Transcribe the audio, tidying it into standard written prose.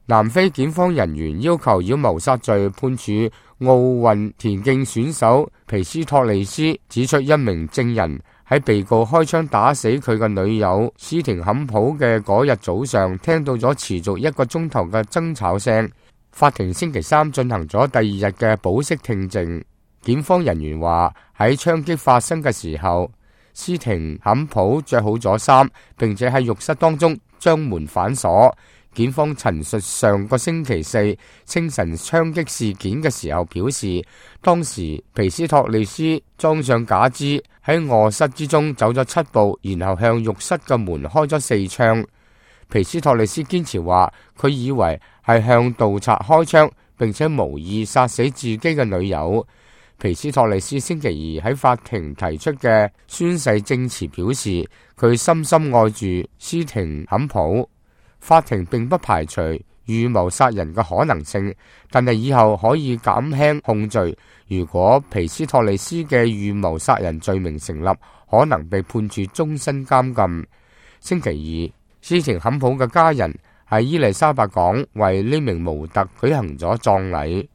南非檢方人員要求以謀殺罪判處奧運田徑選手皮斯托利斯，指出一名證人喺被告開槍打死佢嘅女友斯廷坎普嘅嗰日早上，聽到咗持續1個鐘頭嘅爭吵聲。法庭星期三進行咗第2日嘅保釋聽證。檢方人員話喺槍擊發生嘅時候，斯廷坎普着好咗衫，並且喺浴室當中將門反鎖。檢方陳述上個星期4清晨槍擊事件嘅時候表示，當時皮斯托利斯裝上假肢喺臥室之中走咗7步，然後向浴室嘅門開咗4槍。皮斯托利斯堅持話佢以為係向盜賊開槍，並且無意殺死自己嘅女友。皮斯托利斯星期2喺法庭提出嘅宣誓證詞表示，佢深深愛住斯廷坎普。法庭並不排除預謀殺人嘅可能性，但係以後可以減輕控罪。如果皮斯托利斯嘅預謀殺人罪名成立，可能被判處終身監禁。星期2，斯廷坎普嘅家人喺伊麗莎白港為呢名模特舉行咗葬禮。